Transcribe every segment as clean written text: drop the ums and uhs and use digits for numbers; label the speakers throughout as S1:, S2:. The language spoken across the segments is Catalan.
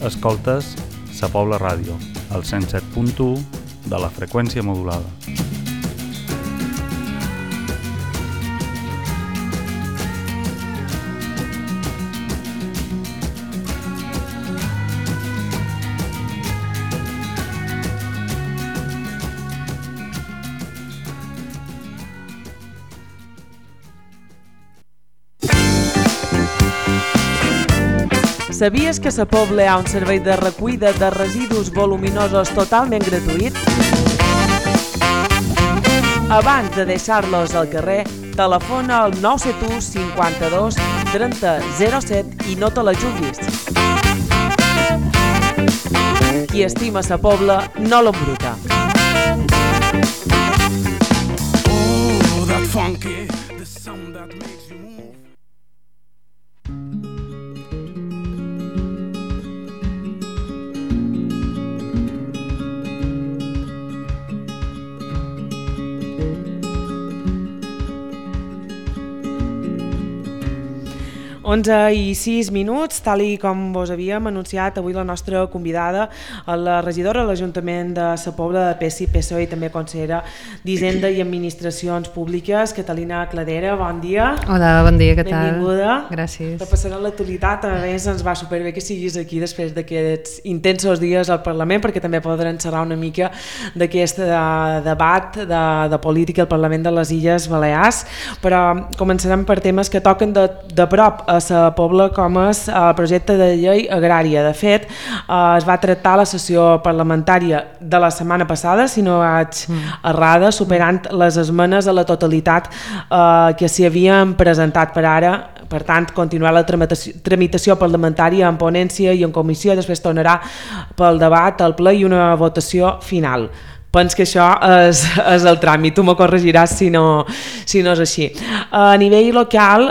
S1: Escoltes Sa Pobla Ràdio, al 107.1 de la freqüència modulada.
S2: Sabies que a Sa Pobla hi ha un servei de recollida de residus voluminosos totalment gratuït? Abans de deixar-los al carrer, telefona al 971 52 30 07 i no te la juguis. Qui estima Sa Pobla no l'embruta.
S3: Oh, that funky, the sound that makes you move.
S2: Onze i 6 minuts, tal i com vos havíem anunciat, avui la nostra convidada, la regidora de l'Ajuntament de Sa Pobla de PSI, PSOE i també consellera d'Hisenda i Administracions Públiques, Catalina Cladera, bon dia.
S4: Hola, bon dia, què tal?
S2: Benvinguda.
S4: Gràcies.
S2: Repassarem l'actualitat, a més ens va superbé que siguis aquí després d'aquests intensos dies al Parlament, perquè també podrem xerrar una mica d'aquest debat de política al Parlament de les Illes Balears, però començarem per temes que toquen de prop a Sa Pobla, com és el projecte de llei agrària. De fet, es va tractar la sessió parlamentària de la setmana passada, si no vaig errada, superant les esmenes a la totalitat que s'hi havien presentat per ara. Per tant, continuar la tramitació parlamentària en ponència i en comissió, després tornarà pel debat, al ple i una votació final. Penso que això és el tràmit, tu m'ho corregiràs si no és així. A nivell local,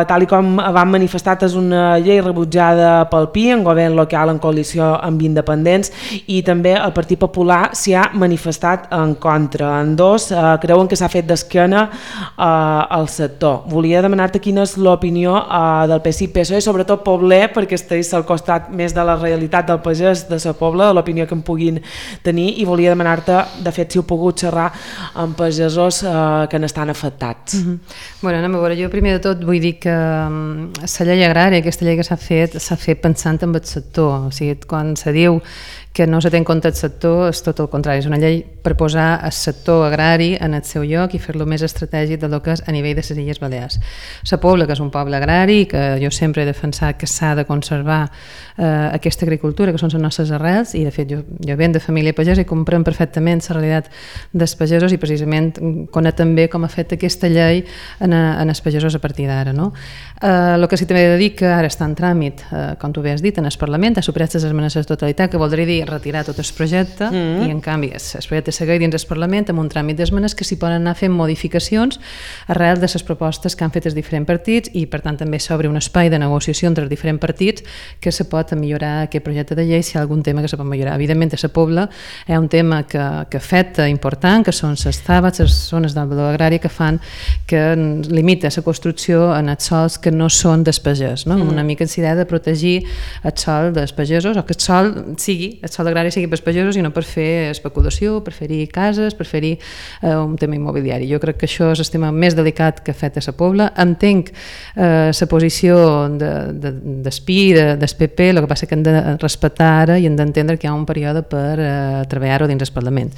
S2: tal com vam manifestar, és una llei rebutjada pel PI, en govern local en coalició amb independents, i també el Partit Popular s'hi ha manifestat en contra. En dos creuen que s'ha fet d'esquena al sector. Volia demanar-te quina és l'opinió del PSI-PSOE, sobretot pobler, perquè estiguis al costat més de la realitat del pagès de Sa Pobla, de l'opinió que en puguin tenir, i volia demanar-te, de fet, si heu pogut xerrar amb pagesos que n'estan afectats.
S4: Bueno, anem a veure, jo primer de tot vull dir que la llei agrària, aquesta llei que s'ha fet pensant en el sector. O sigui, quan se diu que no se té en compte el sector, és tot el contrari, és una llei per posar el sector agrari en el seu lloc i fer-lo més estratègic del que és a nivell de les Illes Balears. Sa Pobla, que és un poble agrari, que jo sempre he defensat que s'ha de conservar aquesta agricultura, que són les nostres arrels, i de fet jo venc de família pagesa i comprem perfectament la realitat dels pagesos i precisament conec també com ha fet aquesta llei en els pagesos a partir d'ara. El que sí també he de dir que ara està en tràmit, com tu bé has dit, en el Parlament, ha superat les esmenes de totalitat, que voldria dir retirar tot el projecte, i en canvi el projecte segueix dins del Parlament amb un tràmit d'esmenes que s'hi poden anar fent modificacions arrel de les propostes que han fet els diferents partits, i per tant també s'obre un espai de negociació entre els diferents partits que se pot millorar aquest projecte de llei si hi ha algun tema que se pot millorar. Evidentment a Sa Pobla hi ha un tema que afecta important, que són les TABAs, les zones del valor agrari, que fan que limita la construcció en els sols que no són dels pagès, una mica en idea de protegir el sòl dels pagesos, o que el sòl agrari sigui pels pagesos i no per fer especulació, per fer-hi cases, per fer-hi un tema immobiliari. Jo crec que això és el tema més delicat que afecta a Sa Pobla. Entenc la posició del PI, del PP, el que passa que hem de respectar ara i hem d'entendre que hi ha un període per treballar-ho dins del Parlament.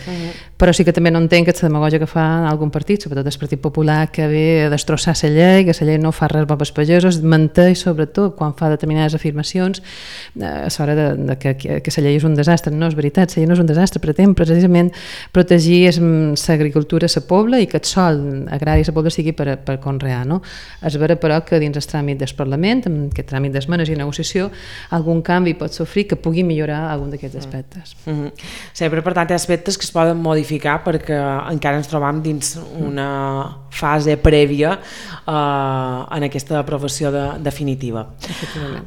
S4: Però sí que també no entenc aquesta demagògia que fa algun partit, sobretot el Partit Popular, que ve a destrossar la llei, que la llei no fa res bo pels pagesos, menteix sobretot quan fa determinades afirmacions a l'hora que la llei és un desastre. No és veritat, la llei no és un desastre, pretén precisament protegir l'agricultura a Sa Pobla i que el sòl agrari a Sa Pobla sigui per conrear. És vera, però, que dins el tràmit del Parlament, amb aquest tràmit d'esmenes i negociació, algun canvi pot sofrir que pugui millorar algun d'aquests aspectes.
S2: Sí, però per tant, hi ha aspectes aspectes que es poden modificar perquè encara ens trobam dins una fase prèvia en aquesta aprovació definitiva.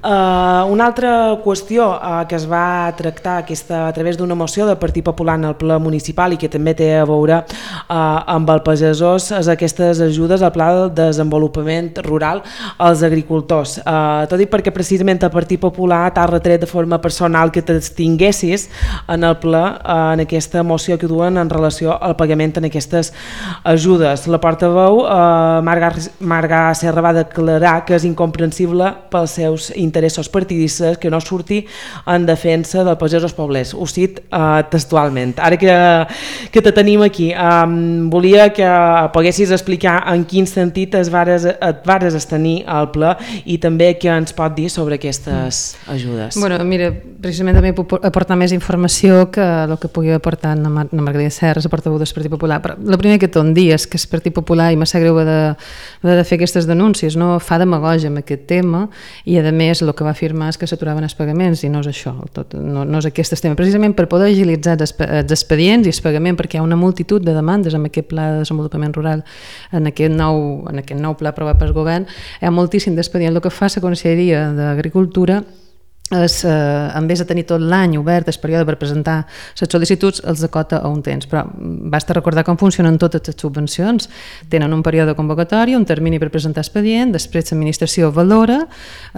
S2: Una altra qüestió que es va tractar a través d'una moció del Partit Popular en el ple municipal i que també té a veure amb el pagesós és aquestes ajudes al Pla de Desenvolupament Rural als agricultors. T'ho dic perquè precisament el Partit Popular t'ha retret de forma personal que t'extinguessis en el ple en aquesta moció que duen en relació al pagament en aquestes ajudes. La portaveu Marga Serra va declarar que és incomprensible pels seus interessos partidistes que no surti en defensa del pagesos poblers. Ho cit textualment. Ara que te tenim aquí, volia que poguessis explicar en quin sentit et vares abstenir al ple i també què ens pot dir sobre aquestes ajudes.
S4: Bueno, mira, precisament també puc aportar més informació que el que pugui aportar la Margarida Serra, la portaveu del Partit Popular. Però el primer que tot dir és que el Partit Popular, i m'ha greu de fer aquestes denúncies, no fa demagogia amb aquest tema i a més el que va afirmar és que s'aturaven els pagaments i no és això, no és aquest tema. Precisament per poder agilitzar els expedients i el pagament, perquè hi ha una multitud de demandes amb aquest pla de desenvolupament rural, en aquest nou pla aprovat pel govern, hi ha moltíssim d'expedients. El que fa la Conselleria d'Agricultura és, en vez de tenir tot l'any obert el període per presentar les sol·licituds, els acota a un temps, però basta recordar com funcionen totes les subvencions. Tenen un període de convocatòria, un termini per presentar expedient, després l'administració valora,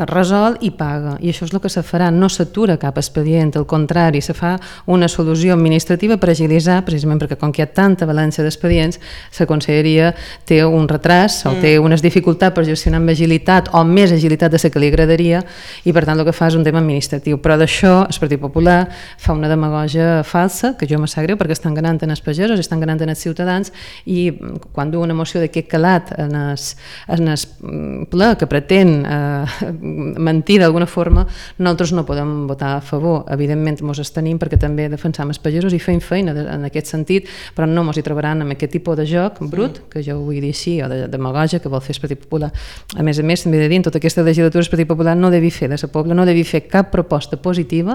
S4: resol i paga, i això és el que se farà, no s'atura cap expedient, al contrari, se fa una solució administrativa per agilitzar, precisament perquè com que hi ha tanta balança d'expedients, la Conselleria té un retras o té unes dificultats per gestionar amb agilitat o més agilitat de la que li agradaria, i per tant el que fa és un tema administratiu, però d'això el Partit Popular fa una demagogia falsa, que jo me sap greu perquè estan ganant en els pagesos, estan ganant en els ciutadans, i quan du una moció d'aquest calat en el ple que pretén mentir d'alguna forma, nosaltres no podem votar a favor. Evidentment mos abstenim perquè també defensam els pagesos i fem feina en aquest sentit, però no mos hi trobaran amb aquest tipus de joc brut, que jo ho vull dir així, o de demagogia que vol fer el Partit Popular. A més, també de dir, en tota aquesta legislatura el Partit Popular no devi fer de la Pobla, no devi fer cap proposta positiva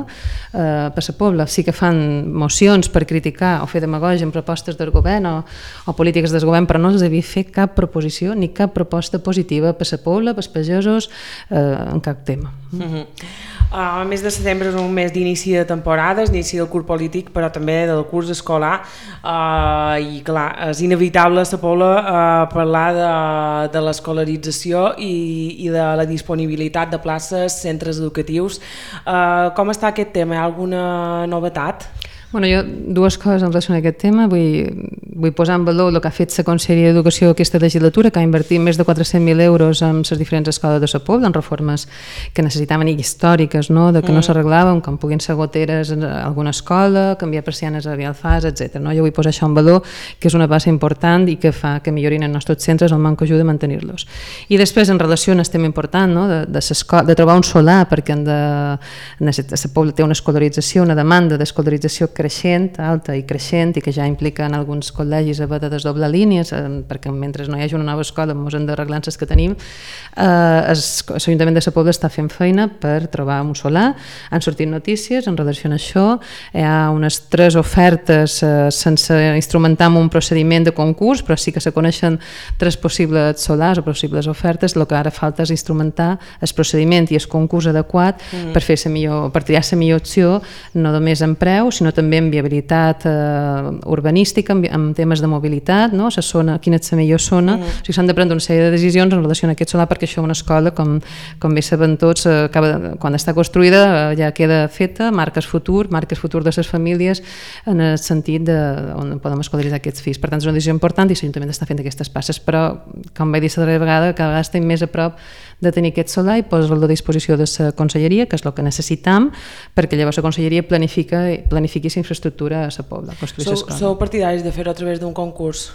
S4: per la Pobla. Sí que fan mocions per criticar o fer demagògia en propostes del govern o polítiques del govern, però no els havia fet cap proposició ni cap proposta positiva per la Pobla, per els pagesos, en cap tema.
S2: El mes de setembre és un mes d'inici de temporades, inici del curs polític, però també del curs escolar, i clar, és inevitable a la Pobla parlar de l'escolarització i de la disponibilitat de places, centres educatius. Com està aquest tema? Hi ha alguna novetat?
S4: Bueno, jo dues coses en relació a aquest tema. Vull posar en valor el que ha fet la Conselleria d'Educació aquesta legislatura, que ha invertit més de 400.000 euros en les diferents escoles de la Pobla, en reformes que necessitaven i històriques, no? De que no s'arreglaven, com puguin ser goteres en alguna escola, canviar persianes a Rialfàs, etc. No? Jo vull posar això en valor, que és una base important i que fa que millorin els nostres centres, el manco ajuda a mantenir-los. I després, en relació a un tema important, no? de trobar un solar, perquè la Pobla té una escolarització, una demanda d'escolarització creixent, alta i creixent, i que ja implica en alguns col·legis haver de desdoblar línies, perquè mentre no hi hagi una nova escola ens hem d'arreglar les que tenim. L'Ajuntament de la Pobla està fent feina per trobar un solar. Han sortit notícies en relació a això, hi ha unes 3 ofertes sense instrumentar en un procediment de concurs, però sí que se coneixen 3 possibles solars o possibles ofertes. El que ara falta és instrumentar el procediment i el concurs adequat per triar la millor opció, no només en preu, sinó també en viabilitat urbanística, en temes de mobilitat, no? La zona, quina és la millor zona. O sigui, s'han de prendre una sèrie de decisions en relació a aquest solar, perquè això una escola, com bé sabem tots, quan està construïda ja queda feta, marques futur de les famílies en el sentit on podem escolaritzar aquests fills. Per tant, és una decisió important i l'Ajuntament està fent aquestes passes, però, com vaig dir la darrera vegada, cada vegada estem més a prop de tenir aquest solar i posar-lo a disposició de la Conselleria, que és el que necessitam, perquè llavors la Conselleria planifiqui la infraestructura a la Pobla.
S2: Sou partidaris de fer-ho a través d'un concurs?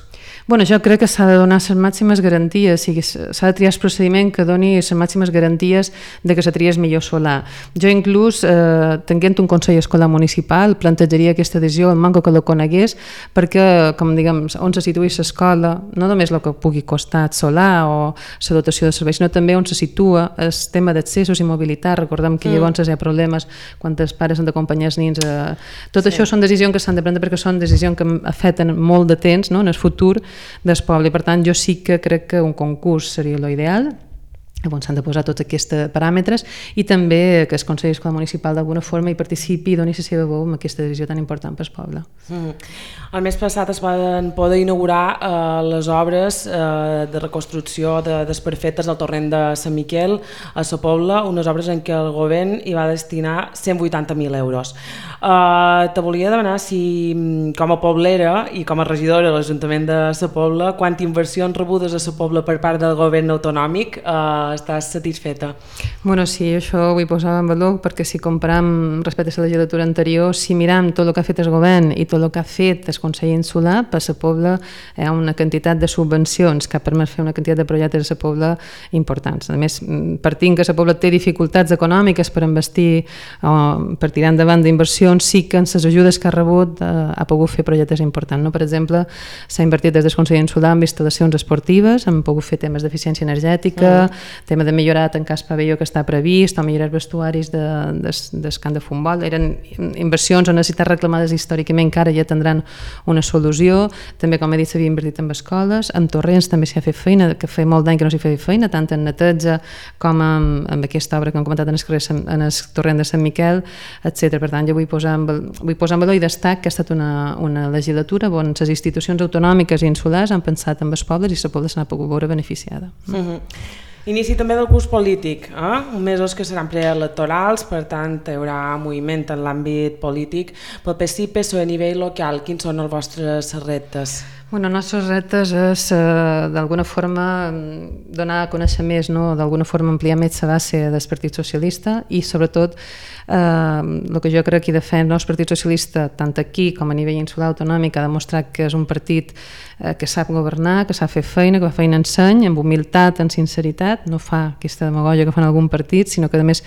S4: Bueno, jo crec que s'ha de donar les màximes garanties, s'ha de triar el procediment que doni les màximes garanties de que se tries millor solar. Jo inclús, tenint un Consell Escolar Municipal, plantejaria aquesta decisió, el manco que la conegués, perquè, com diguem, on se situï l'escola, no només el que pugui costar el solar o la dotació de serveis, sinó també on se situa el tema d'accessos i mobilitat. Recordem que llavors hi ha problemes quan els pares han d'acompanyar els nins. Tot això són decisions que s'han de prendre perquè són decisions que afecten molt de temps, no?, en el futur del poble. Per tant, jo sí que crec que un concurs seria l'ideal, on s'han de posar tots aquests paràmetres, i també que el Consell Escolar Municipal d'alguna forma hi participi i doni la seva veu en aquesta decisió tan important pel poble.
S2: El mes passat es van poder inaugurar les obres de reconstrucció desperfectes del torrent de Sant Miquel a Sa Pobla, unes obres en què el govern hi va destinar 180.000 euros. Te volia demanar si, com a poblera i com a regidora de l'Ajuntament de Sa Pobla, quantes inversions rebudes a Sa Pobla per part del govern autonòmic estàs satisfeta?
S4: Bueno, sí, això ho vull posar en valor perquè si comparam respecte a la legislatura anterior, si miram tot el que ha fet el govern i tot el que ha fet el Consell Insular, per Sa Pobla hi ha una quantitat de subvencions que ha permès fer una quantitat de projectes a Sa Pobla importants. A més, partint que Sa Pobla té dificultats econòmiques per investir o per tirar endavant d'inversions, sí que en les ajudes que ha rebut ha pogut fer projectes importants. No? Per exemple, s'ha invertit des del Consell Insular en instal·lacions esportives, han pogut fer temes d'eficiència energètica, tema de millorar tancar el pavelló que està previst o millorar els vestuaris del camp de futbol. Eren inversions o necessitats reclamades històricament que ara ja tindran una solució. També, com he dit, s'havia invertit en escoles, en torrents també s'hi ha fet feina, que feia molt d'any que no s'hi feia feina, tant en neteja com amb aquesta obra que hem comentat en el torrent de Sant Miquel, etc. Per tant, jo vull posar en valor i destac que ha estat una legislatura on les institucions autonòmiques i insulars han pensat en els pobles i la Pobla se n'ha pogut veure beneficiada.
S2: Inici també del curs polític, mesos que seran preelectorals, per tant hi haurà moviment en l'àmbit polític. Pel PSI, PSOE a nivell local, quins són els vostres reptes?
S4: Bueno, els nostres reptes és d'alguna forma donar a conèixer més, no? D'alguna forma ampliar més la base del Partit Socialista i sobretot el que jo crec que defensa el Partit Socialista tant aquí com a nivell insular autonòmic ha demostrat que és un partit que sap governar, que sap fer feina, que fa feina en seny, amb humilitat, amb sinceritat, no fa aquesta demagògia que fan algun partit, sinó que a més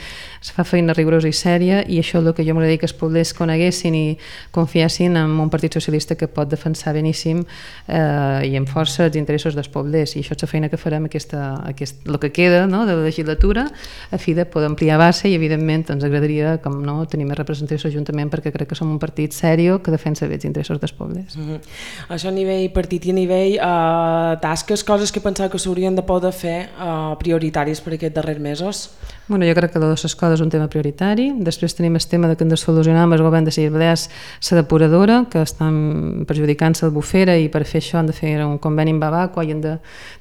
S4: fa feina rigorosa i sèria, i això és el que jo m'agradaria que els poblers coneguessin i confiessin en un Partit Socialista que pot defensar beníssim i amb força els interessos dels poblers, i això és la feina que farem el que queda, no?, de la legislatura, a fi de poder ampliar base, i evidentment ens agradaria com no, tenir més representació a l'Ajuntament perquè crec que som un partit sèrio que defensa bé els interessos dels poblers.
S2: Això a nivell partit i a nivell tasques, coses que pensava que s'haurien de poder fer prioritaris per aquests darrers mesos?
S4: Bueno, jo crec que les escoles és un tema prioritari. Després tenim el tema que hem de solucionar amb el govern de les Balears la depuradora, que estan perjudicant l'Albufera, i per fer això han de fer un conveni amb Babacqua i han de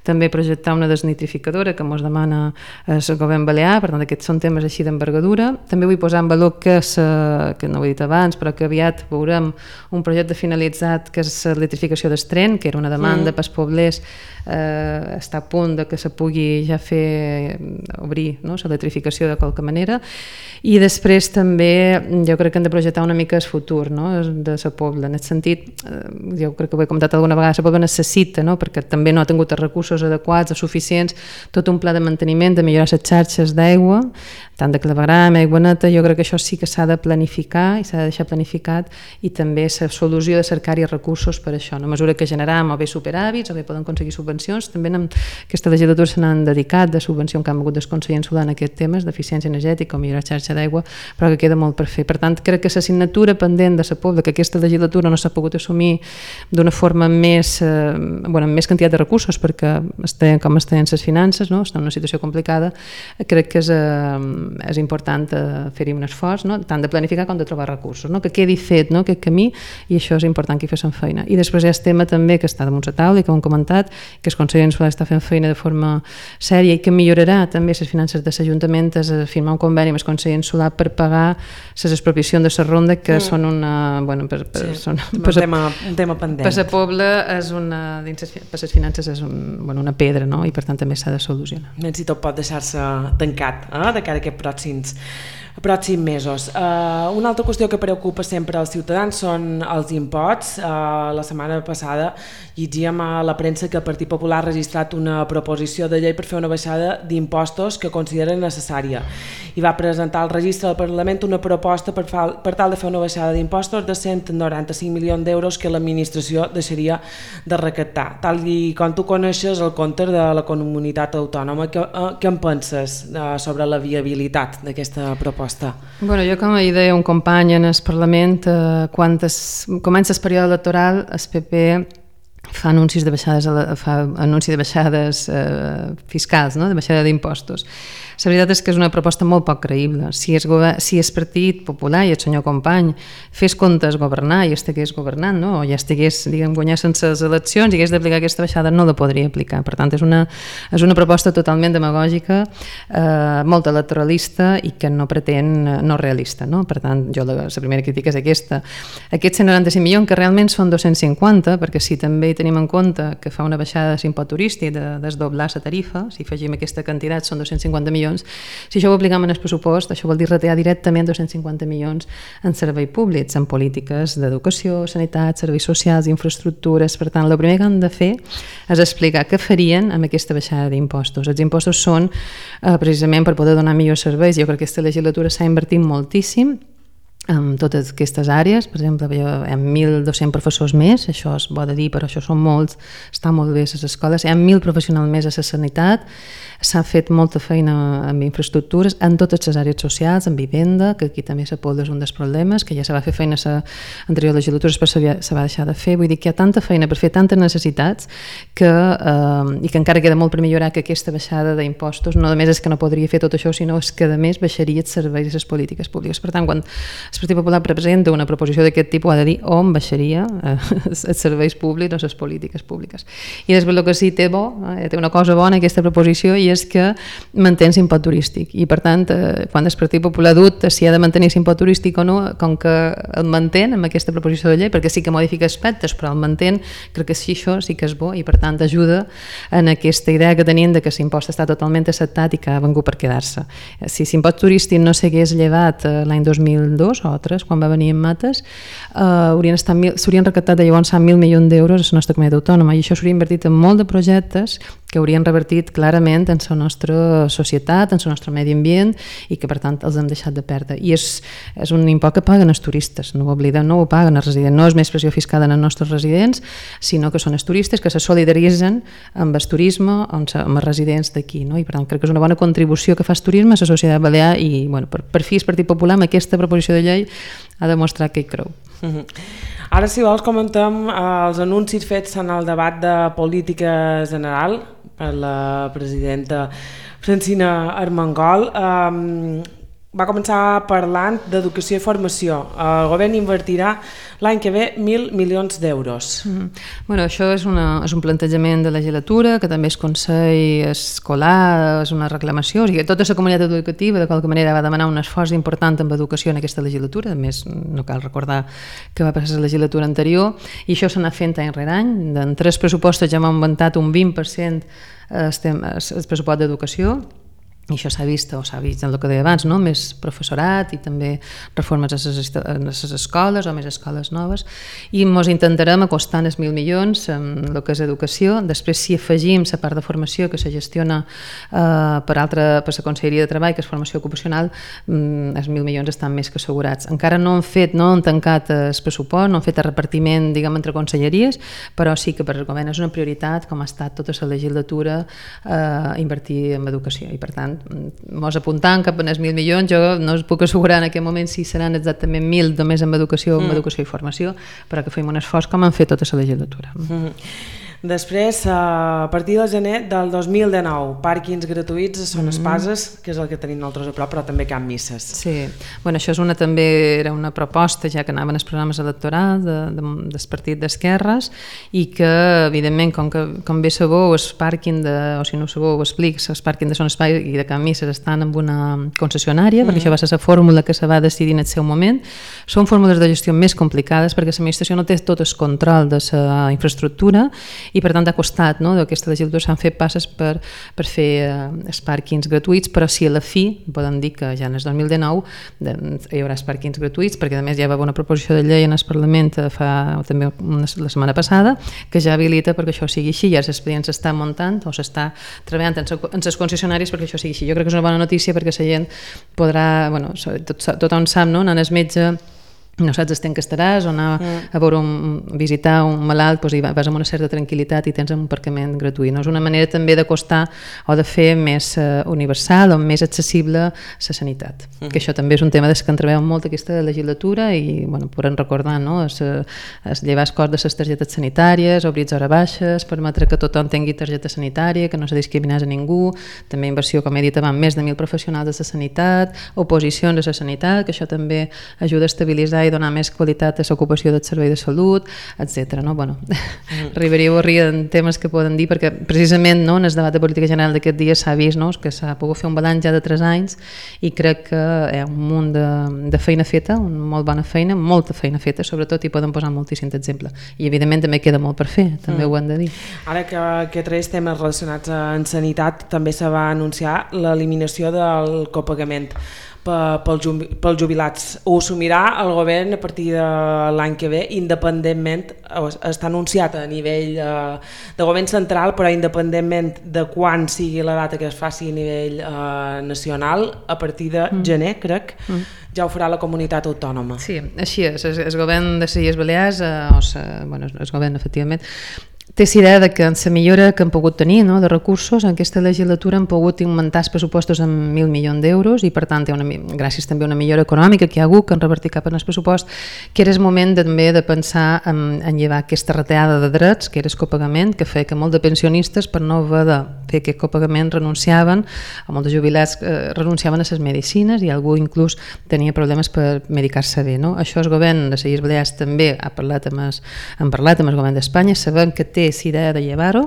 S4: també projectar una desnitrificadora que ens demana el govern balear. Per tant, aquests són temes així d'envergadura. També vull posar en valor que no ho he dit abans, però que aviat veurem un projecte finalitzat que és l'electrificació del tren, que era una demanda pels poblers, està a punt de que se pugui ja fer obrir, no?, l'electrificació de qualque manera. I després també jo crec que hem de projectar una mica el futur, no?, de la Pobla. En aquest sentit, jo crec que ho he comentat alguna vegada, la Pobla necessita, no?, perquè també no ha tingut els recursos adequats o suficients, tot un pla de manteniment, de millorar les xarxes d'aigua, tant de clavegram, aigua neta. Jo crec que això sí que s'ha de planificar i s'ha de deixar planificat, i també la solució de cercar-hi recursos per això, a mesura que generam o bé superàvits o bé poden aconseguir subvencions. També en aquesta legislatura se n'han dedicat de subvenció que han hagut del Consell Insular en aquests temes d'eficiència energètica o millorar xarxa d'aigua, però que queda molt per fer. Per tant, crec que l'assignatura pendent de la Pobla, que aquesta legislatura no s'ha pogut assumir d'una forma amb més quantitat de recursos, perquè com estan les finances, no?, està en una situació complicada, crec que és important fer-hi un esforç, no?, tant de planificar com de trobar recursos, no?, que quedi fet, no?, aquest camí, i això és important que hi fessin feina. I després hi ha el tema també que està damunt la taula i que ho hem comentat, que el Consell Insular està fent feina de forma sèria i que millorarà també les finances de l'Ajuntament, és firmar un conveni amb el Consell Insular per pagar les expropiacions de la ronda, que són un tema pendent. Per la Pobla per les finances és una pedra, no?, i per tant també s'ha de solucionar.
S2: Si tot pot deixar-se tancat de cara a aquests pròxims mesos. Una altra qüestió que preocupa sempre als ciutadans són els imposts. La setmana passada llegíem a la premsa que el Partit Popular ha registrat una proposició de llei per fer una baixada d'impostos que consideren a les necessària i va presentar al registre del Parlament una proposta per tal de fer una baixada d'impostos de 195 milions d'euros que l'administració deixaria de recaptar. Tal com tu coneixes el compte de la comunitat autònoma, què en penses sobre la viabilitat d'aquesta proposta?
S4: Bueno, jo, com hi deia un company en el Parlament, quan comença el període electoral, el PP fa anuncis de baixades fiscals, no? De baixada d'impostos. La veritat és que és una proposta molt poc creïble. Si el Partit Popular i el senyor Company fes comptes governar i estigués governant, no? O ja estigués, guanyar sense les eleccions i hagués d'aplicar aquesta baixada, no la podria aplicar. Per tant, és una proposta totalment demagògica, molt electoralista i que no pretén, no realista, no? Per tant, jo la primera crítica és aquesta. Aquests 195 milions, que realment són 250, perquè si també tenim en compte que fa una baixada de l'impost turístic, de desdoblar la tarifa, si afegim aquesta quantitat són 250 milions. Si això ho aplicam en el pressupost, això vol dir retallar directament 250 milions en serveis públics, en polítiques d'educació, sanitat, serveis socials, infraestructures. Per tant, el primer que han de fer és explicar què farien amb aquesta baixada d'impostos. Els impostos són precisament per poder donar millors serveis. Jo crec que aquesta legislatura s'ha invertit moltíssim en totes aquestes àrees. Per exemple, hi ha 1.200 professors més, això és bo de dir, però això són molts, està molt bé a les escoles, hi ha 1.000 professionals més a la sanitat, s'ha fet molta feina amb infraestructures, en totes les àrees socials, en vivenda, que aquí també s'apoda és un dels problemes, que ja se va fer feina a l'anterior legislatura, però se va deixar de fer. Vull dir que hi ha tanta feina per fer tantes necessitats i que encara queda molt per millorar, que aquesta baixada d'impostos no només és que no podria fer tot això, sinó és que a més baixaria els serveis i les polítiques públiques. Per tant, quan el Partit Popular presenta una proposició d'aquest tipus, ha de dir on baixaria els serveis públics o les polítiques públiques. I després el que sí té una cosa bona aquesta proposició, i és que manté l'impost turístic. I per tant, quan el Partit Popular dubta si ha de mantenir l'impost turístic o no, com que el mantén amb aquesta proposició de llei, perquè sí que modifica aspectes, però el mantén, crec que sí, això sí que és bo, i per tant ajuda en aquesta idea que tenien de que l'impost està totalment acceptat i que ha vengut per quedar-se. Si l'impost turístic no s'hagués llevat l'any 2002 o 3, quan va venir en Mates, s'haurien recaptat de llavors 1.000 milions d'euros a la nostra comunitat autònoma, i això s'hauria invertit en molt de projectes que haurien revertit clarament en la nostra societat, en el nostre medi ambient, i que per tant els hem deixat de perdre. I és un impost que paguen els turistes, no ho oblidem, no ho paguen els residents, no és més pressió fiscal en els nostres residents, sinó que són els turistes que se solidaritzen amb el turisme, amb els residents d'aquí, no? I per tant crec que és una bona contribució que fa el turisme a la societat balear, i per fi el Partit Popular amb aquesta proposició de llei ha demostrat que hi creu.
S2: Ara, si vols, comentem els anuncis fets en el debat de política general per la presidenta Francina Armengol. Va començar parlant d'educació i formació. El govern invertirà l'any que ve 1.000 milions d'euros.
S4: Bueno, això és un plantejament de legislatura, que també és Consell Escolar, és una reclamació. O sigui, tota la comunitat educativa de qualque manera va demanar un esforç important en educació en aquesta legislatura. A més, no cal recordar que va passar la legislatura anterior, i això s'ha anat fent any rere any. En 3 pressupostos ja hem augmentat un 20% el pressupost d'educació, i això s'ha vist en el que deia abans, no? Més professorat i també reformes a les escoles o més escoles noves, i ens intentarem acostar els 1.000 milions en el que és educació. Després, si afegim la part de formació que se gestiona per la Conselleria de Treball, que és formació ocupacional, els 1.000 milions estan més que assegurats. Encara no han tancat el pressupost, no han fet el repartiment, entre conselleries, però sí que per el govern és una prioritat, com ha estat tota la legislatura, invertir en educació, i per tant mos apuntant cap als 1.000 milions. Jo no us puc assegurar en aquest moment si seran exactament 1.000 només en educació o en educació i formació, però que fem un esforç com han fet tota la legislatura.
S2: Després, a partir del gener del 2019, pàrquings gratuïts a Son Espases, que és el que tenim nosaltres a prop, però també cap misses.
S4: Sí, bueno, això també era una proposta ja que anaven els programes electorals del partit d'esquerres, i que, evidentment, com bé sabeu, el pàrquing o si no sabeu, ho explico, el pàrquing de Son Espases i de Can Misses estan en una concessionària, perquè això va ser la fórmula que se va decidir en el seu moment. Són fórmules de gestió més complicades perquè l'administració no té tot el control de la infraestructura, i per tant ha costat, no? D'aquesta legislatura s'han fet passes per fer els pàrquings gratuïts, però sí a la fi podem dir que ja en el 2019 hi haurà els pàrquings gratuïts, perquè a més ja va haver una proposició de llei en el Parlament també la setmana passada que ja habilita perquè això sigui així, ja els expedients s'estan muntant o s'està treballant en els concessionaris perquè això sigui així. Jo crec que és una bona notícia perquè la gent podrà, bueno, tothom sap, no? Anant al metge no saps el temps que estaràs o anar a visitar un malalt, doncs vas amb una certa tranquil·litat i tens un aparcament gratuït. No? És una manera també d'acostar o de fer més universal o més accessible la sanitat. Que això també és un tema que en treballem molt aquesta legislatura i podem recordar, no? Llevar el cost de les targetes sanitàries, obrir hores baixes, permetre que tothom tingui targeta sanitària, que no se discriminés a ningú, també inversió, com he dit abans, més de 1.000 professionals de la sanitat, oposicions a la sanitat, que això també ajuda a estabilitzar i donar més qualitat a l'ocupació del servei de salut, etc. No? Arribaria a rir en temes que poden dir, perquè precisament en el debat de política general d'aquest dia s'ha vist que s'ha pogut fer un balanç ja de 3 anys i crec que hi ha un munt de feina feta, una molt bona feina, molta feina feta, sobretot, i poden posar moltíssims exemples. I evidentment també queda molt per fer, també ho hem de dir.
S2: Ara que 3 temes relacionats amb sanitat, també se va anunciar l'eliminació del copagament pels jubilats. Ho assumirà el govern a partir de l'any que ve, independentment, està anunciat a nivell de govern central, però independentment de quan sigui la data que es faci a nivell nacional, a partir de gener, crec, ja ho farà la comunitat autònoma.
S4: Sí, així és. El govern de les Illes Balears, el govern, efectivament, té la idea que en la millora que han pogut tenir de recursos, en aquesta legislatura han pogut augmentar els pressupostos en 1.000 milions d'euros i per tant, gràcies també a una millora econòmica que hi ha hagut, que han revertit cap en el pressupost, que era el moment també de pensar en llevar aquesta retallada de drets, que era el copagament, que feia que molts de pensionistes, per no haver de fer aquest copagament, renunciaven, o molts de jubilats renunciaven a les medicines i algú inclús tenia problemes per medicar-se bé. No? Això el govern de les Illes Balears també han parlat amb el govern d'Espanya, sabem que té la idea de llevar-ho,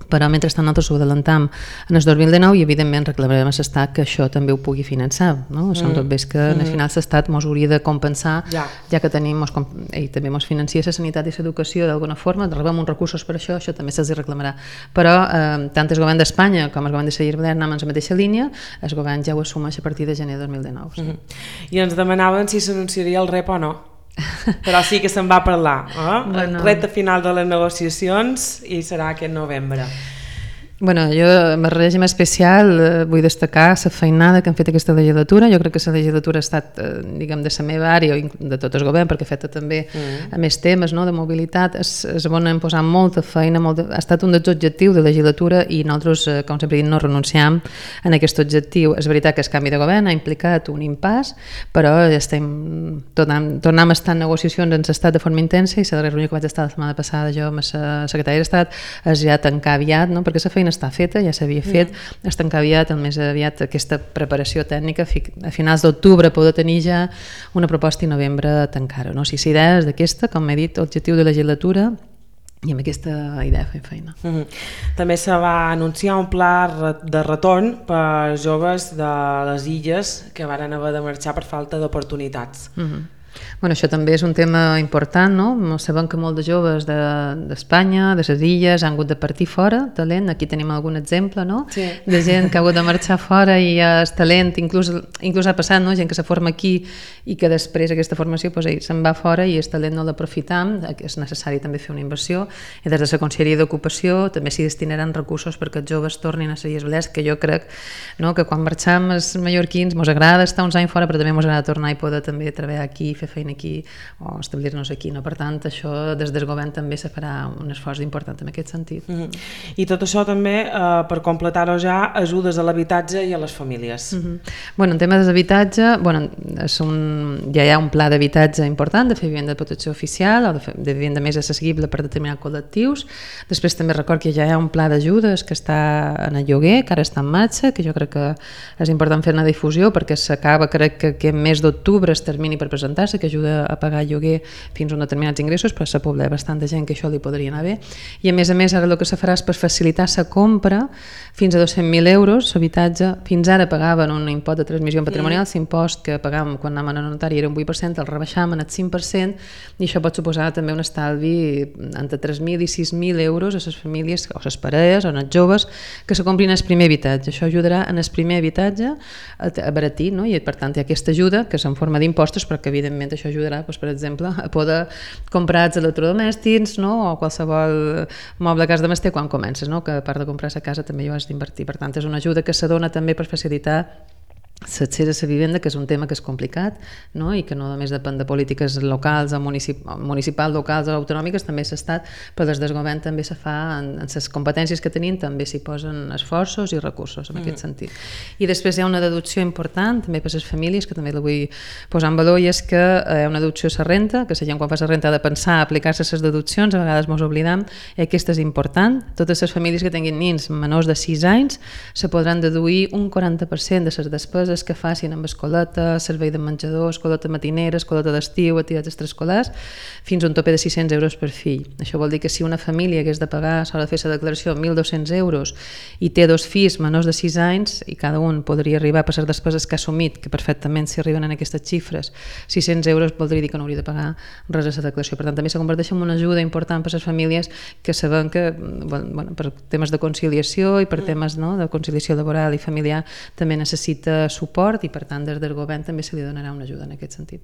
S4: però mentrestant nosaltres ho adelantam en el 2019 i evidentment reclamarem a l'Estat que això també ho pugui finançar. No? Som tot bé que al final l'Estat ens hauria de compensar, ja que tenim, ell també ens financia la sanitat i l'educació d'alguna forma, rebem uns recursos per això també se'ls reclamarà. Però tant el govern d'Espanya com el govern de les Illes Balears anem en la mateixa línia, el govern ja ho assumeix a partir de gener de 2019.
S2: I ens demanaven si s'anunciaria el rep o no. Però sí que se'n va parlar, el repte final de les negociacions i serà aquest novembre.
S4: Bueno, jo, en el règim especial, vull destacar la feinada que han fet aquesta legislatura. Jo crec que la legislatura ha estat, diguem, de la meva àrea, de tot el govern, perquè ha fet també a més temes de mobilitat. Es van posar molta feina, ha estat un dels objectius de la legislatura i nosaltres, com sempre dic, no renunciam a aquest objectiu. És veritat que el canvi de govern ha implicat un impàs, però tornem a estar en negociacions en l'estat de forma intensa i la reunió que vaig estar la setmana passada jo amb la secretària d'Estat es ja tancar aviat, perquè la feina està feta, ja s'havia fet, es tancar aviat, el més aviat aquesta preparació tècnica, a finals d'octubre poder tenir ja una proposta i novembre tancar-ho. No? Si la idea és d'aquesta, com he dit, objectiu de legislatura i amb aquesta idea fem feina.
S2: També se va anunciar un pla de retorn per joves de les illes que varen haver de marxar per falta d'oportunitats.
S4: Bueno, això també és un tema important, no? Sabem que molts de joves d'Espanya, de les illes, han hagut de partir fora, talent, aquí tenim algun exemple, no?
S2: Sí.
S4: De gent que ha hagut de marxar fora i és talent, inclús ha passat, no? Gent que se forma aquí i que després aquesta formació se'n va fora i el talent no l'aprofitam, és necessari també fer una inversió i des de la Conselleria d'Ocupació també s'hi destinaran recursos perquè els joves tornin a les Illes Balears, que jo crec que quan marxam els mallorquins ens agrada estar uns anys fora però també ens agrada tornar i poder també treballar aquí, fer feina aquí o establir-nos aquí. Per tant, això des del govern també se farà un esforç important en aquest sentit.
S2: I tot això també, per completar-ho ja, ajudes a l'habitatge i a les famílies.
S4: En temes d'habitatge, ja hi ha un pla d'habitatge important de fer vivenda de protecció oficial o de vivenda més accessible per determinats col·lectius. Després també record que ja hi ha un pla d'ajudes que està en el lloguer, que ara està en marxa, que jo crec que és important fer una difusió perquè s'acaba, crec que aquest mes d'octubre es termini per presentar-se, que ajuda a pagar lloguer fins a uns determinats ingressos, però s'ha poblat bastant de gent que això li podria anar bé. I a més ara el que se farà és per facilitar la compra, fins a 200.000 euros l'habitatge. Fins ara pagaven un impost de transmissió patrimonial, l'impost que pagàvem quan anàvem a notari era un 8%, el rebaixàvem al 5%, i això pot suposar també un estalvi entre 3.000 i 6.000 euros a les famílies, o les parelles, o els joves, que se comprin el primer habitatge. Això ajudarà en el primer habitatge a baratir, no? I per tant hi ha aquesta ajuda, que és en forma d'impostos, però que evidentment això ajudarà, doncs, per exemple, a poder comprar els electrodomèstics, no? O qualsevol moble a casa domèstic quan comences, no? Que a part de comprar la casa també hi has d'invertir. Per tant, és una ajuda que se dona també per facilitar l'accés a la vivenda, que és un tema que és complicat, no? I que no només depèn de polítiques locals, municipals, locals o autonòmiques, també s'ha però des del govern també se fa, en les competències que tenim també s'hi posen esforços i recursos en aquest sentit. I després hi ha una deducció important també per les famílies, que també la vull posar en valor, i és que hi ha una deducció a la renta, que la gent quan fa la renta ha de pensar a aplicar-se a les deduccions, a vegades ens oblidam, i aquesta és important. Totes les famílies que tinguin nens menors de 6 anys se podran deduir un 40% de les despeses que facin amb escoleta, servei de menjador, escoleta matinera, escoleta d'estiu, activitats extraescolars, fins a un tope de 600 euros per fill. Això vol dir que si una família hagués de pagar, s'ha de fer la declaració, 1.200 euros i té 2 fills menors de 6 anys i cada un podria arribar per les despeses que ha assumit, que perfectament si arriben en aquestes xifres, 600 euros voldria dir que no hauria de pagar res a la declaració. Per tant, també se converteix en una ajuda important per a les famílies que sabem que, bueno, per temes de conciliació i per temes, no, de conciliació laboral i familiar també necessita suport, i per tant des del govern també se li donarà una ajuda en aquest sentit.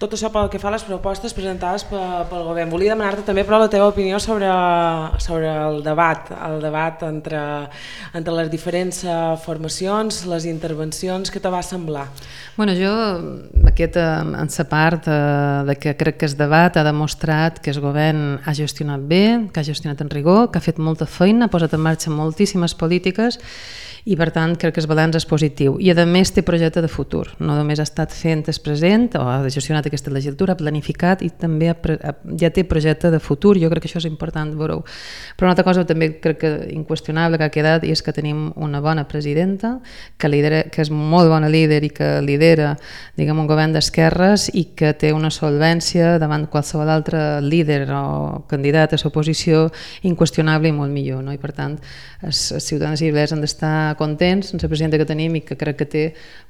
S2: Tot això pel que fa a les propostes presentades pel govern. Volia demanar-te també però la teva opinió sobre el debat entre les diferents formacions, les intervencions, què te va semblar?
S4: Bueno, jo en la part de que crec que el debat ha demostrat que el govern ha gestionat bé, que ha gestionat en rigor, que ha fet molta feina, ha posat en marxa moltíssimes polítiques, i per tant crec que el balanç és positiu i a més té projecte de futur, no només ha estat fent el present o ha gestionat aquesta legislatura, ha planificat i també ja té projecte de futur. Jo crec que això és important veure-ho. Però una altra cosa també crec que inqüestionable que ha quedat i és que tenim una bona presidenta que és molt bona líder i que lidera, diguem, un govern d'esquerres i que té una solvència davant qualsevol altre líder o candidat a l'oposició inqüestionable i molt millor, no? I per tant els ciutadans i ciutadanes han d'estar contents amb la presidenta que tenim i que crec que té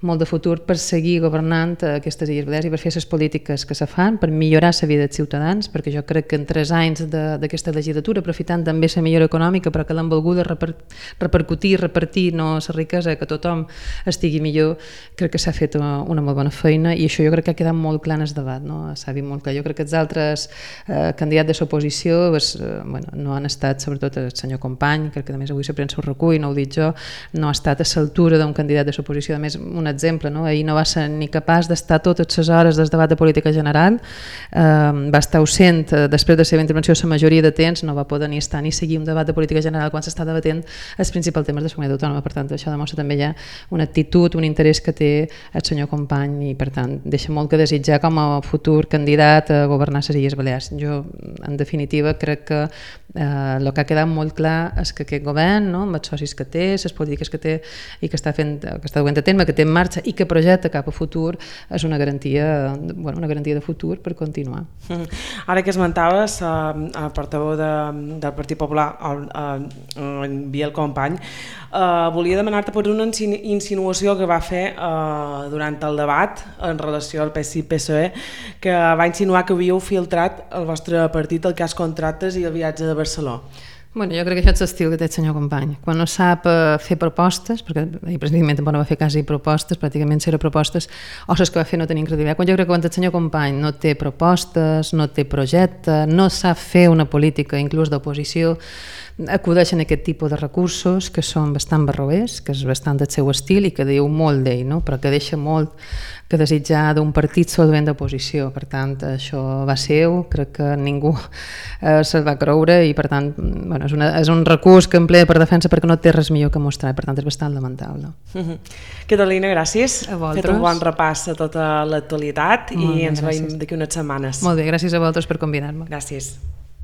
S4: molt de futur per seguir governant aquestes Illes Balears i per fer les polítiques que se fan, per millorar la vida dels ciutadans, perquè jo crec que en 3 anys d'aquesta legislatura, aprofitant també la millora econòmica, però que l'han volguda repercutir, repartir la riquesa, que tothom estigui millor, crec que s'ha fet una molt bona feina i això jo crec que ha quedat molt clar en el debat, no? S'ha vist molt clar. Jo crec que els altres candidats de l'oposició no han estat, sobretot el senyor Company, crec que a més avui la premsa ho recull, no ho dic jo, no ha estat a l'altura d'un candidat de l'oposició. A més, un exemple, no? Ahir no va ser ni capaç d'estar totes les hores del debat de política general, va estar ausent després de la seva intervenció la majoria de temps, no va poder ni estar ni seguir un debat de política general quan s'està debatent els principals temes de la comunitat autònoma. Per tant, això demostra també ja una actitud, un interès que té el senyor Company i per tant deixa molt que desitjar com a futur candidat a governar les Illes Balears. Jo, en definitiva, crec que el que ha quedat molt clar és que aquest govern, no, amb els socis que té, les polítiques que té i que està duent a terme, que té en marxa i que projecta cap a futur, és una garantia de futur per continuar.
S2: Ara que esmentaves el portaveu del Partit Popular, en Biel Company, volia demanar-te per una insinuació que va fer durant el debat en relació al PSI-PSOE, que va insinuar que havíeu filtrat el vostre partit el cas contractes i el viatge de Barcelona.
S4: Bueno, jo crec que això és l'estil que té el senyor Company. Quan no sap fer propostes, perquè el president tampoc no va fer quasi propostes, pràcticament zero propostes, o les que va fer no tenien credibilitat. Jo crec que quan el senyor Company no té propostes, no té projecte, no sap fer una política inclús d'oposició, acudeixen aquest tipus de recursos que són bastant barroers, que és bastant del seu estil i que diu molt d'ell, no? Però que deixa molt que desitjar d'un partit solvent d'oposició. Per tant, això va seu, crec que ningú se'l va creure i per tant és un recurs que emplea per defensa perquè no té res millor que mostrar, per tant és bastant lamentable.
S2: Catalina, gràcies.
S4: A vosaltres.
S2: Fet un bon repàs a tota l'actualitat i ens veiem d'aquí unes setmanes.
S4: Molt bé, gràcies a vosaltres per convidar-me.
S2: Gràcies.